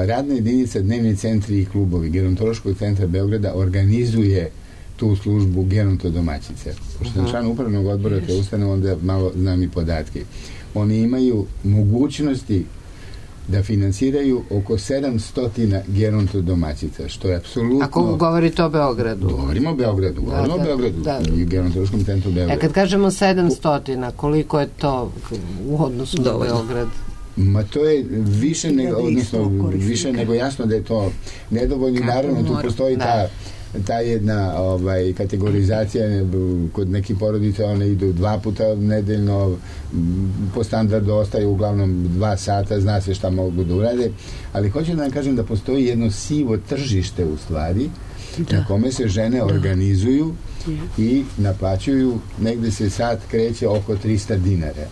Radna jedinica, dnevni centri i klubovi Gerontološkog centra Beograda organizuje tu službu gerontodomaćice. Pošto sam član upravnog odbora te ustanove, onda malo znam i podatke. Oni imaju mogućnosti da finansiraju oko 700 gerontodomaćica, što je apsolutno... Ako govorite o Beogradu? Govorimo o Beogradu, i Gerontološkom centru Beograda. Kad kažemo 700, koliko je to u odnosu na Beograd? Ma to je više nego jasno da je to nedovoljno. Naravno, tu postoji ta jedna kategorizacija. Kod nekih porodica one idu 2 puta nedeljno, po standardu ostaje uglavnom 2 sata, zna se šta mogu da urade, ali hoću da vam kažem da postoji jedno sivo tržište u stvari, na kome se žene organizuju i naplaćuju, negde se sat kreće oko 300 dinara.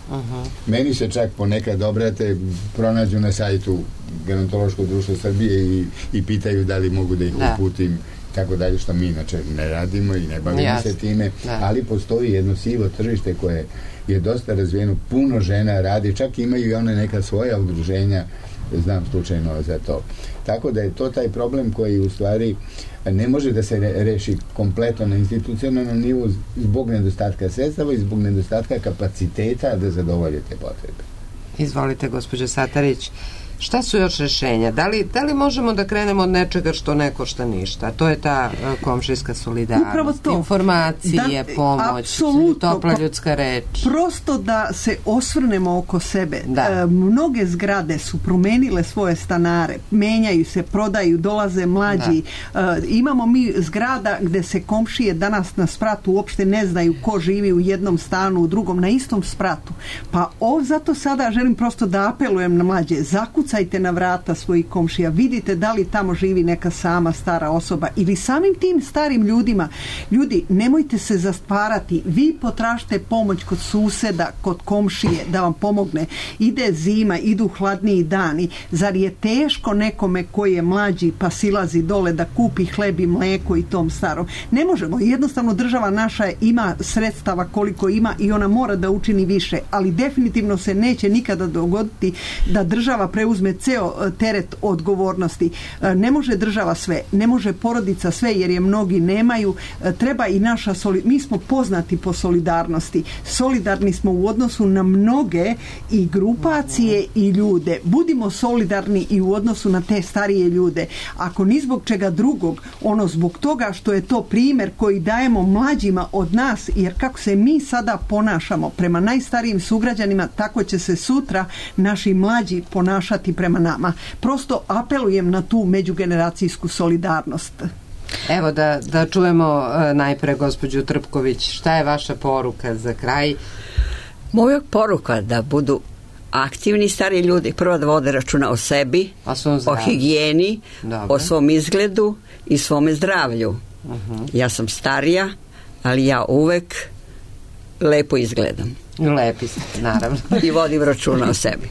Meni se čak ponekad obrate, pronađu na sajtu Gerontološkog društva Srbije i pitaju da li mogu da ih uputim, tako dalje, što mi inače ne radimo i ne bavimo se time, ali postoji jedno sivo tržište koje je dosta razvijeno, puno žena radi, čak imaju i one neka svoja udruženja, znam slučajno za to. Tako da je to taj problem koji u stvari ne može da se reši kompletno na institucionalnom nivou zbog nedostatka sredstava i zbog nedostatka kapaciteta da zadovolje te potrebe. Izvolite, gospođo Satarić. Šta su još rješenja? Da li možemo da krenemo od nečega što ne košta ništa? To je ta komšijska solidarnost. Upravo to. Informacije, pomoć, topla ljudska reč. Prosto da se osvrnemo oko sebe. Mnoge zgrade su promenile svoje stanare, menjaju se, prodaju, dolaze mlađi. Imamo mi zgrada gde se komšije danas na spratu uopšte ne znaju ko živi u jednom stanu, u drugom, na istom spratu. Pa zato sada želim prosto da apelujem na mlađe. Zakucajte na vrata svojih komšija, vidite da li tamo živi neka sama stara osoba ili samim tim starim ljudima. Ljudi, nemojte se zastvarati, vi potražite pomoć kod suseda, kod komšije da vam pomogne. Ide zima, idu hladniji dani. Zar je teško nekome koji je mlađi pa silazi dole da kupi hleb i mleko i tom starom? Ne možemo, jednostavno država naša ima sredstava koliko ima i ona mora da učini više, ali definitivno se neće nikada dogoditi da država preuzme ceo teret odgovornosti. Ne može država sve, ne može porodica sve jer je mnogi nemaju. Treba i naša mi smo poznati po solidarnosti. Solidarni smo u odnosu na mnoge i grupacije i ljude. Budimo solidarni i u odnosu na te starije ljude. Ako ni zbog čega drugog, ono zbog toga što je to primjer koji dajemo mlađima od nas, jer kako se mi sada ponašamo prema najstarijim sugrađanima, tako će se sutra naši mlađi ponašati prema nama. Prosto apelujem na tu međugeneracijsku solidarnost. Evo da čujemo najpre gospođu Trpković. Šta je vaša poruka za kraj? Moja poruka da budu aktivni stari ljudi, prvo da vode računa o sebi, o higijeni, o svom izgledu i svome zdravlju. Ja sam starija, ali ja uvek lepo izgledam. Lepi ste, naravno. I vodim računa o sebi.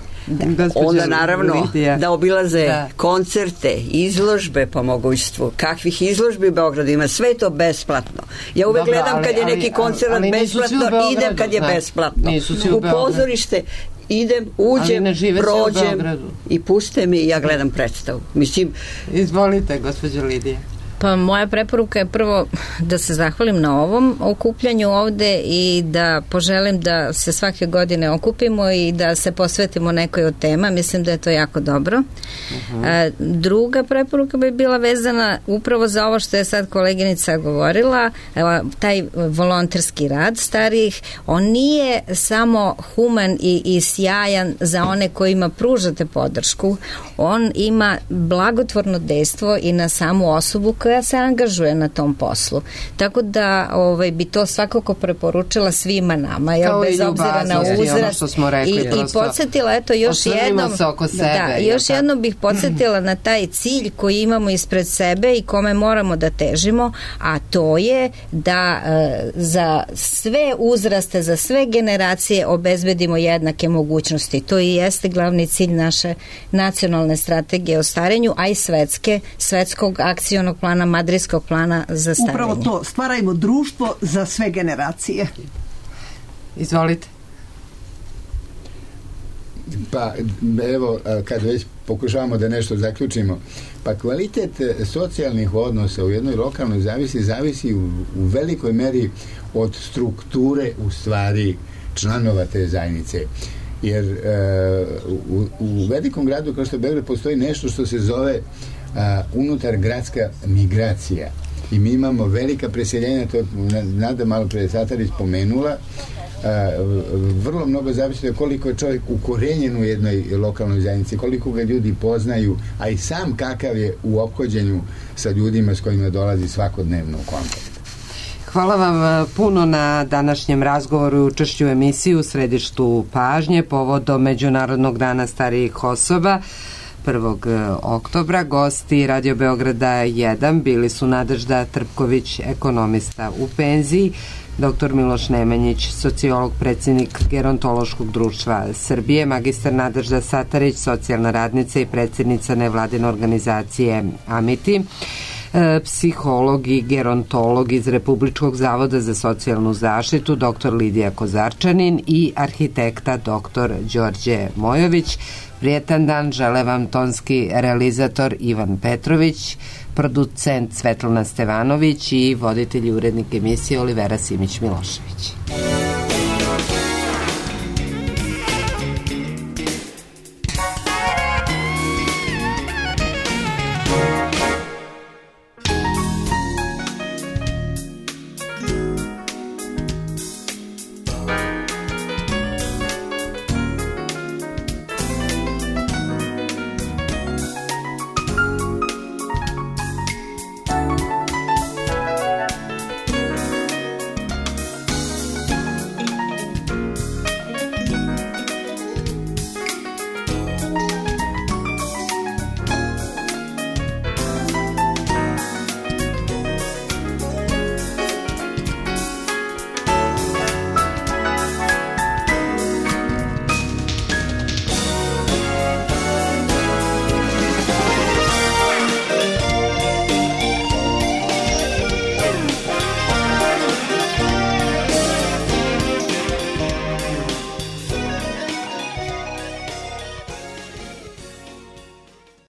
Onda naravno da obilaze koncerte, izložbe po mogućstvu. Kakvih izložbi u Beogradu ima, sve to besplatno. Ja uvek gledam kad je neki koncert besplatno, idem kad je besplatno. U pozorište idem, uđem, prođem i puste mi i ja gledam predstavu. Mislim, izvolite, gospođo Lidija. Pa moja preporuka je prvo da se zahvalim na ovom okupljanju ovde i da poželim da se svake godine okupimo i da se posvetimo nekoj od tema. Mislim da je to jako dobro. Druga preporuka bi bila vezana upravo za ovo što je sad koleginica govorila, taj volonterski rad starijih. On nije samo human i sjajan za one kojima pružate podršku. On ima blagotvorno dejstvo i na samu osobu koja se angažuje na tom poslu. Tako da bi to svakako preporučila svima nama, bez obzira na uzrast. I podsjetila, eto, još jednom bih podsjetila na taj cilj koji imamo ispred sebe i kome moramo da težimo, a to je da za sve uzraste, za sve generacije obezbedimo jednake mogućnosti. To i jeste glavni cilj naše nacionalne strategije o starenju, a i svetskog akcionog plana, madridskog plana za starenje. Upravo to, stvarajmo društvo za sve generacije. Izvolite. Pa evo, kad već pokušavamo da nešto zaključimo, pa kvalitet socijalnih odnosa u jednoj lokalnoj zavisi u velikoj meri od strukture u stvari članova te zajednice. Jer u velikom gradu kao što je Beograd postoji nešto što se zove unutar gradska migracija i mi imamo velika preseljenja, to Nada malo pre Satarić spomenula. Vrlo mnogo zavisi od koliko je čovjek ukorenjen u jednoj lokalnoj zajednici, koliko ga ljudi poznaju, a i sam kakav je u ophođenju sa ljudima s kojima dolazi svakodnevno u kontakt. Hvala vam puno na današnjem razgovoru i učešću u emisiji u središtu pažnje povodom Međunarodnog dana starijih osoba 1. oktobra. Gosti Radio Beograda 1 bili su Nadežda Trpković, ekonomista u penziji, dr. Miloš Nemanjić, sociolog, predsjednik Gerontološkog društva Srbije, magistar Nadežda Satarić, socijalna radnica i predsjednica nevladine organizacije Amiti, psiholog i gerontolog iz Republičkog zavoda za socijalnu zaštitu dr. Lidija Kozarčanin i arhitekta dr. Đorđe Mojović. Prijetan dan žele vam tonski realizator Ivan Petrović, producent Svetlana Stevanović i voditelj i urednik emisije Olivera Simić-Milošević.